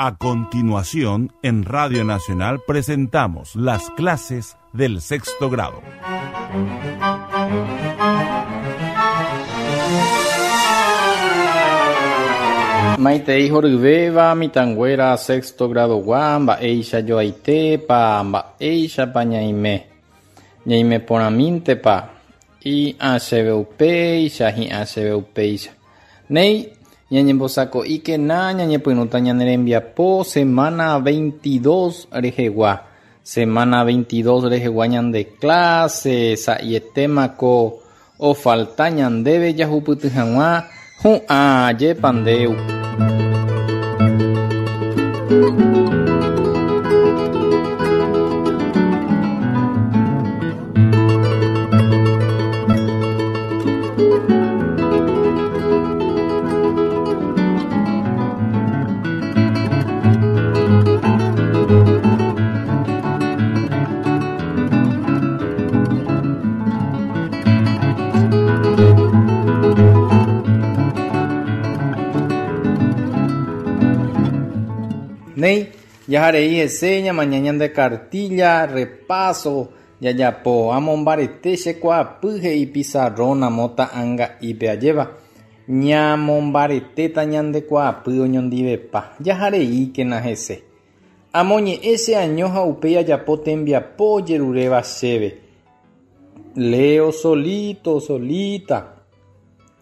A continuación, en Radio Nacional presentamos las clases del sexto grado. Maitei horyvéva mitãnguéra sexto grado-gua mba'éicha joaitépa, mba'éichapa ñaime, ñaime porãmíntepa, hi'ã chéve upéicha, hi'ã chéve upéicha. Néi, ñañembosako'íkena ñañepyrũta ñane rembiapo semana veintidós rehegua. Semana veintidós rehegua ñande clase sa'ietémako ofalta ñandéve jahupyty hag̃ua hu'ã jepa nde upe. Néi, jaharei hese ñamaña ñande kartílla, repaso, jajapo, amombarete che kuaapy he'i pizarrón amo ta'anga'ípe ajéva. Ñamombaretéta ñande kuaapy oñondivepa, jahareíkena hese. Amoñe'ẽ che año ha upéi ajapo tembiapo ojeruréva chéve. Leo solito, solita.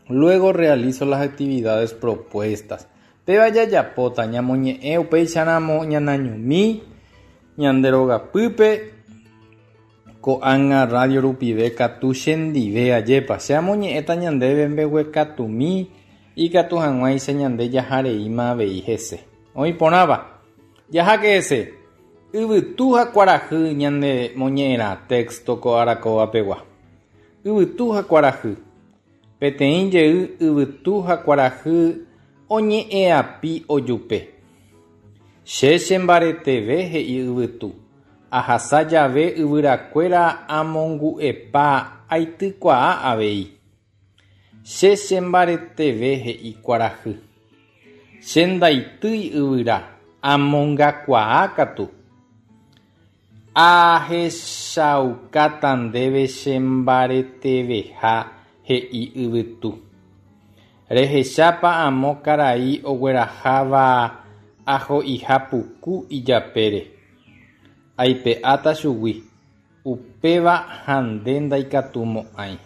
Luego realizo las actividades propuestas. Péva jajapóta, ñamoñe'ẽ upéicharamo ñanañomi ñande rogapýpe, ko'ág̃a radio rupive katu chendive ajépa. Che amoñe'ẽta ñandéve mbeguekatumi ikatu hag̃uáicha ñande jahareíma avei hese. Oĩ porãva. Jaháke hese. Yvytu ha kuarahy ñane moñe'ẽrã texto ko arakóva pegua. Yvytu ha kuarahy. Peteĩ jey yvytu ha kuarahy oñe'ẽapi ojupe. Che chembareteve, he'i yvytu, ahasa jave yvyrakuéra amongu'epa aitykuaa avei. Che chembareteve, he'i kuarahy. Che ndaitýi yvyra, amongakuaa katu. Ahechaukáta ndéve che mbareteveha, he'i yvytu. Rehechápa amo karai ogueraháva aho'iha puku ijapére. Aipe'áta chugui, upéva ha nde ndaikatumo'ãi.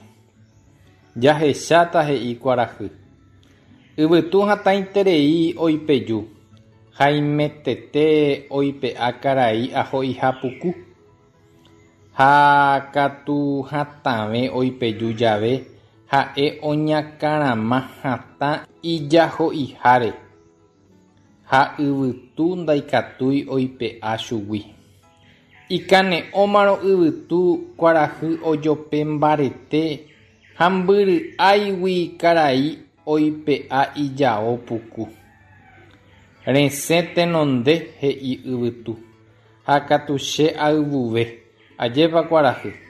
Jahecháta, he'i kuarahy. Yvytu hatãiterei oipeju, haimetete oipe'a karai aho'iha puku. Ha katu hatãve oipeju jave ha'e oñakãrama hatã ijaho'iháre ha yvytu ndaikatúi oipe'a chugui. Ikane'õmarõ yvytu kuarahy ojope mbarete ha mbyry'áigui karai oipe'a ijao puku. Resẽ tenonde, he'i yvytu, ha katu che ayvuve, ajépa kuarahy.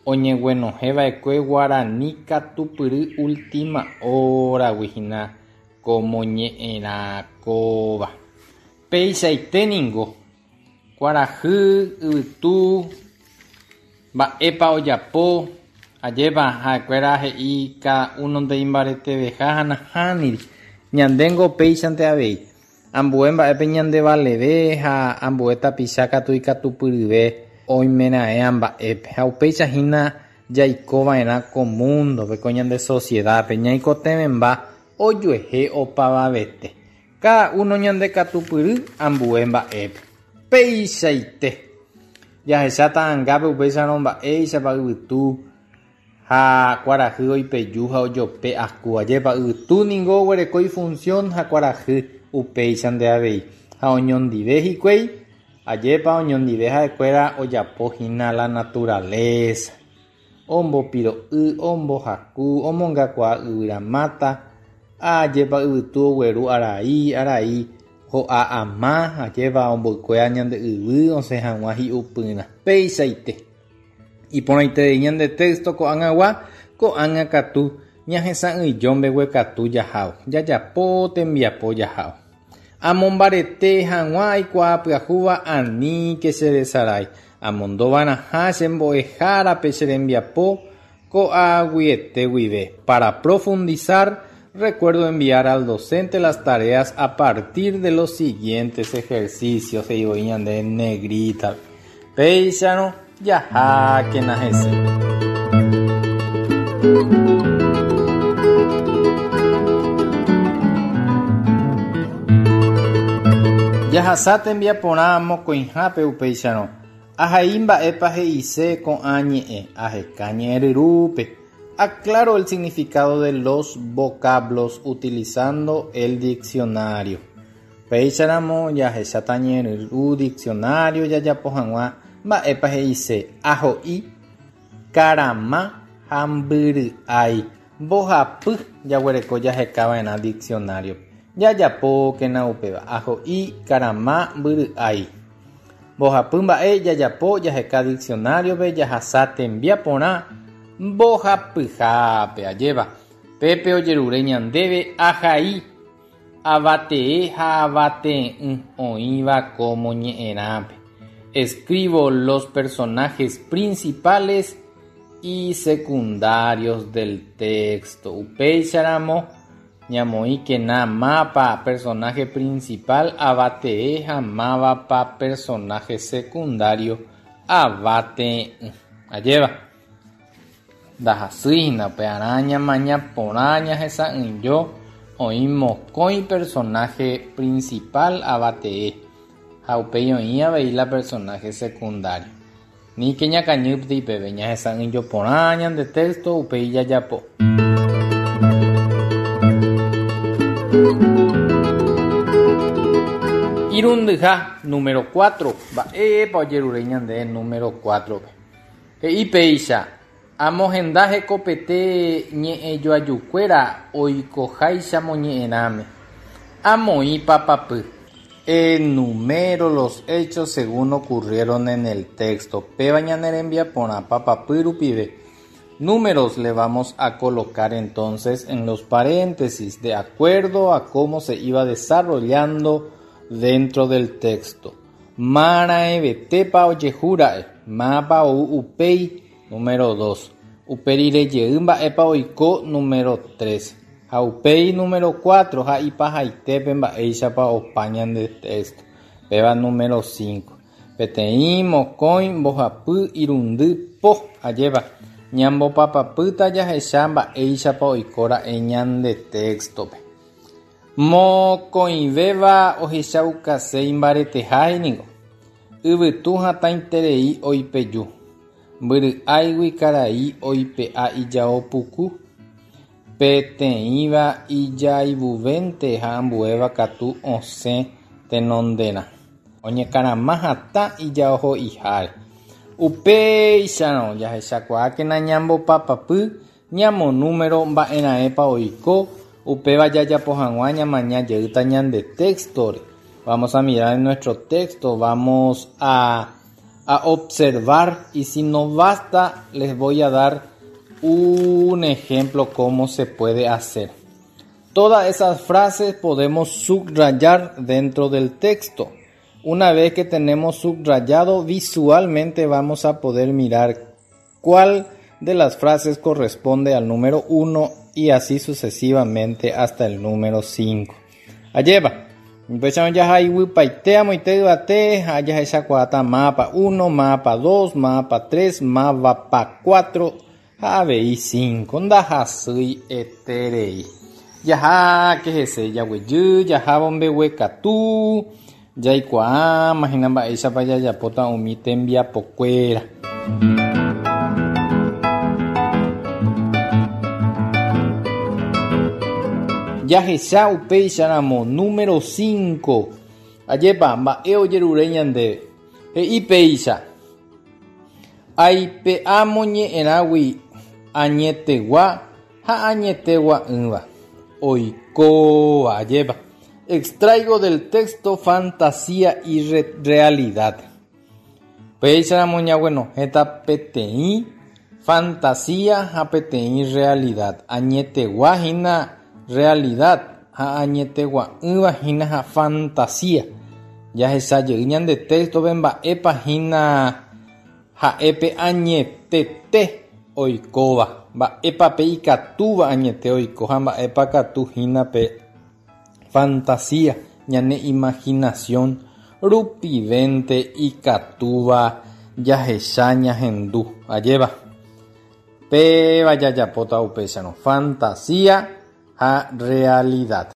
Oñeguenohẽva'ekue guarani katupyry última hora-gui hína ko moñe'ẽrã kóva. Peichaite ningo, kuarahy, yvytu, mba'épa ojapo, ajépa ha'ekuéra he'i káda únonte imbareteveha ha nahániri. Ñandéngo péichante avei. Ambue mba'épe ñandevaleve ha ambue tapicha katu ikatupyryve oimeraẽa mba'épe. Ha upéicha hína jaikova'erã ko múndope, ko ñande sosiedápe, ñaikotevẽmba ojuehe opavavete. Káda uno ñandekatupyry ambue mba'épe. Peichaite! Jahecha ta'angápe upéicharõ mba'éichapa yvytu ha kuarahy oipeju ha ojope aku. Ajépa yvytu ningo oguereko ifunción ha kuarahy upéichante avei. Ha oñondive hikuái, ajépa oñondive ha'ekuéra ojapo hína la naturaleza. Ombopiro'y, ombohaku, omongakuaa yvyra máta, ajépa yvytu ogueru arai, arai ho'a ama, ajépa omboykuéa ñande yvy osẽ hag̃ua hi'upyrã. Peichaite. Iporãiterei ñande texto ko'ag̃agua, ko'ág̃a katu ñahesa'ỹijo mbeguekatu jahávo, jajapo tembiapo jahávo. Amombarete hag̃ua aikuaa pyahúva aníke cheresarái. Amondova'erãha che mbo'ehárape che rembiapo ko'ag̃uiete guive. Para profundizar, recuerdo enviar al docente las tareas a partir de los siguientes ejercicios, he'i voi ñande negrita. Péicharõ jahákena hese. Jahasa tembiaporã mokõihápe upéicharõ. Ahai mba'épa he'ise ko'ã ñe'ẽ, aheka ñe'ẽryrúpe. Aclaro el significado de los vocablos utilizando el diccionario. Péicharamo jahecháta ñe'ẽryru diccionario jajapo hag̃ua mba'épa he'ise aho'i, karama ha mbyry'ái. Mbohapy jaguereko jahekava'erã diccionario-pe. Jajapókena upéva, aho'i, karama, mbyry'ái. Mbohapy mba'e jajapo jaheka diccionario-pe jahasa tembiaporã mbohapyhápe. Ajépa, pépe ojerure ñandéve ahai, avatee ha avatee'ỹ oĩva ko moñe'ẽrãpe. Escribo los personajes principales y secundarios del texto. Upéicharamo ñamoĩkena mápa personaje principal avatee ha mávapa personaje secundario avatee'ỹ. Ajépa, ndahasýi hína upearã ñamaña porã ñahesa'ỹijo oĩ mokõi personaje principal avatee ha upéi oĩ avei la personaje secundario. Níke ñakañýpte peve ñahesa'ỹijo porã ñande texto upéi jajapo. Irundyha, número 4. Mba'épa ojerure ñande número 4-pe? He'i péicha, amohenda hekopete ñe'ẽjoajukuéra oikoháicha moñe'ẽrãme. Amoĩ papapy. Enumero los hechos según ocurrieron en el texto. Péva ñane rembiaporã papapy rupive. Números le vamos a colocar entonces en los paréntesis de acuerdo a cómo se iba desarrollando dentro del texto. Maraẽvetépa ojehúra'e, mávapa ou upéi, número 2. Upe rire jey mba'épa oiko, número 3. Ha upéi número 4 ha ipahaitépe mba'éichapa opa ñande texto. Péva número 5. Peteĩ, mokõi, mbohapy, irundy, po. Ajépa, ñambopapapýta jahecha mba'éichapa oikóra'e ñande texto-pe. Mokõivéva ohechaukase imbareteha ningo. Yvytu hatãiterei oipeju. Mbyry'áigui karai oipe'a ijao puku. Peteĩva ijaivuvénte ha ambuéva katu osẽ tenonderã. Oñekarama hatã ijaoho'iháre. Upéicharõ jahechakuaákena ñambopapapy ñamonúmero mba'erãépa oiko, upéva jajapo hag̃ua ñamaña jeýta ñande texto-re. Vamos a mirar en nuestro texto, vamos a observar y si no basta les voy a dar un ejemplo cómo se puede hacer. Todas esas frases podemos subrayar dentro del texto. Una vez que tenemos subrayado, visualmente vamos a poder mirar cuál de las frases corresponde al número 1 y así sucesivamente hasta el número 5. Ajépa. Upéicharõ jahaiguypaite amoite yvate ha jahechakuaáta mávapa 1, mávapa 2, mávapa 3, mávapa 4 ha avei 5. Ndahasýi eterei. Jaháke hese jaguejy, jahávo mbeguekatu, jaikuaáma hína mba'éichapa jajapóta umi tembiapokuéra. Jahecha upéicharamo número 5. Ajépa, mba'e ojerure ñandéve. He'i péicha, Aipe'a moñe'ẽrãgui añetegua ha añetegua'ỹva. Oikóva, ajépa. Extraigo del texto fantasía y realidad. Péicharamo ñaguenohẽta peteĩ fantasía ha peteĩ realidad. Añetegua hína realidad. ha añetegua'ỹva hína ha fantasía. Jahecha jey ñande texto-pe mba'épa hína ha'e pe añetete oikóva, mba'épa pe ikatúva añete oiko ha mba'épa katu hína pe fantasía, ñane imaginación rupivénte ikatúva jahecha ñahendu. Ajépa? Péva jajapóta upéicharõ, fantasía ha realidad.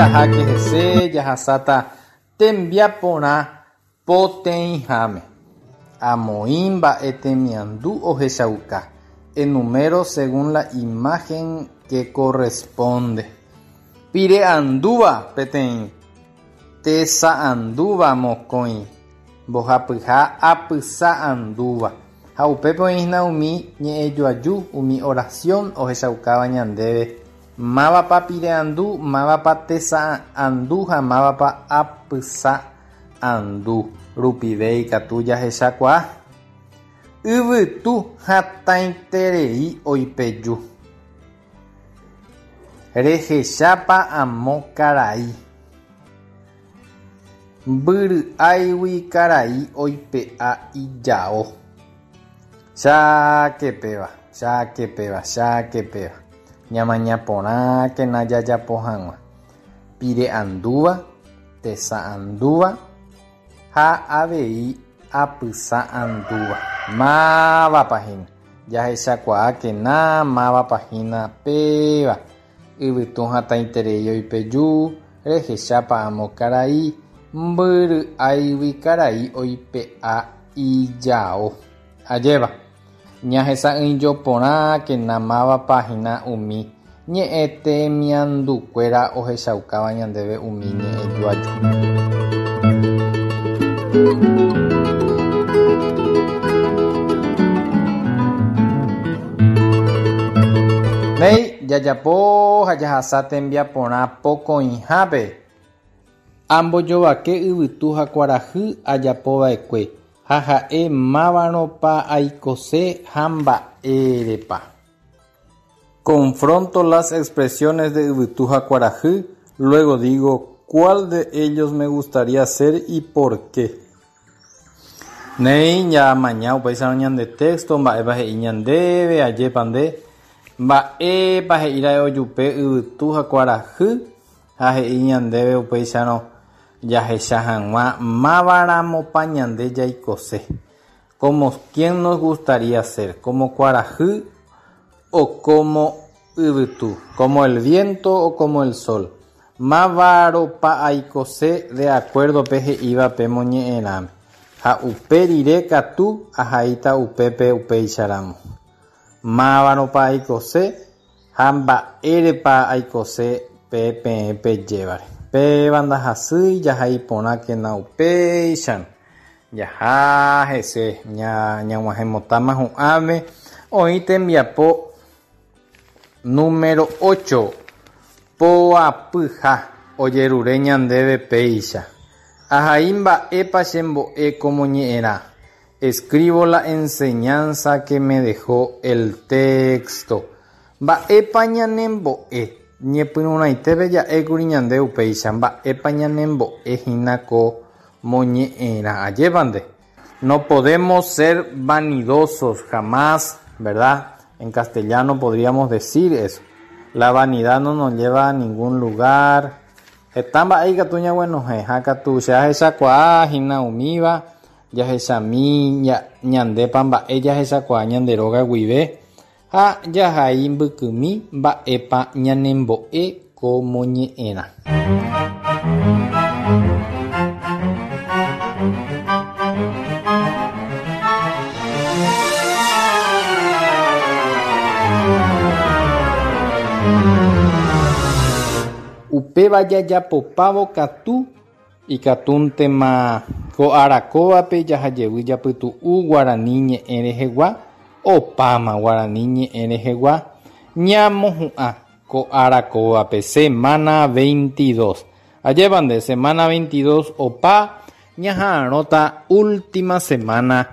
Jaháke hese jahasáta tembiaporã poteĩháme. Amoĩ mba'e temiandu ohechauka. Enumero según la imagen que corresponde. Pire andúva peteĩ, tesa andúva mokõi, mbohapyha apysa andúva. Ha upépe oĩhína umi ñe'ẽjoaju, umi oración ohechaukáva ñandéve mávapa pire andu, mávapa tesa andu ha mávapa apysa andu rupive ikatu jahechakuaa. Yvytu hatãiterei oipeju. Rehechápa amo karai. Mbyry'áigui karai oipe'a ijao. Cháke péva, cháke péva, cháke péva. Ñamaña porãkena jajapo hag̃ua. Pire andúva, tesa andúva ha avei apysa andúva. Mávapa hína? Jahechakuaákena mávapa hína péva. Yvytu hatãiterei oipeju, rehechápa amo karai, mbyry'áigui karai oipe'a ijao. Ajépa? Ñahesa'ỹijo porãkena mávapa hína umi ñe'ẽtemiandukuéra ohechaukáva ñandéve umi ñe'ẽjoaju. Néi, jajapo ha jahasa tembiaporã pokõihápe. Ambojovake yvytu ha kuarahy ajapova'ekue ha ha'e mávarõpa aikose ha mba'érepa. Confronto las expresiones de yvytu ha kuarahy, luego digo cuál de ellos me gustaría ser y por qué. Néi, ñamaña upéicharõ ñande texto, mba'épa he'i ñandéve, ajépa nde, mba'épa he'íra'e ojupe yvytu ha kuarahy, ha he'i ñandéve upéicharõ jahecha hag̃ua mávaramopa ñande jaikose. Como quién nos gustaría ser, como kuarahy o como yvytu, como el viento o como el sol. Mávaropa aikose de acuerdo pe he'íva pe moñe'ẽrãme, ha upe rire katu ahaíta upépe upéicharamo. Mávaropa aikose ha mba'érepa aikose pe peẽ pejévare. Péva ndahasýi jahai porãkena upéicharõ. Jaha hese ñag̃uahẽmotáma hu'ãme oĩ tembiapo número ocho poapyha ojerure ñandéve péicha. Ahai mba'épa chembo'e ko moñe'ẽrã. Escribo la enseñanza que me dejó el texto. Mba'épa ñanembo'e? Ñepyrũrãitépe ja'ékuri ñande upéicha, mba'épa ñanembo'e hína ko moñe'ẽrã. Ajépa nde? No podemos ser vanidosos jamás, verdad? En castellano podríamos decir eso. La vanidad no nos lleva a ningún lugar. Heta mba'e ikatu ñaguenohẽ, ha katu che ahechakuaa hína umíva, jahechami ñandépa mba'e jahechakuaa ñande róga guive ha jahai mbykymi mba'épa ñanembo'e ko moñe'ẽrã. Upéva jajapopávo katu Ikatúntema ko ára kóvape jahajevy japytu'u guarani ñe'ẽ rehegua, opáma guarani ñe'ẽ rehegua ñamohu'ã ko ára kóvape, semana 22. Ajépa nde, semana 22 opa, Ñaha'arõta última semana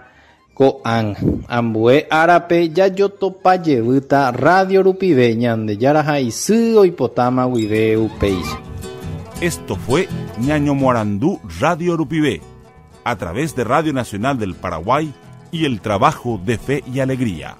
ko'ág̃a. Ambue árape jajotopa jevýta radio rupive Ñandejára ha isy oipotáma guive upéicha. Esto fue Ñañomoarandu Radio Rupive, a través de Radio Nacional del Paraguay y el trabajo de Fe y Alegría.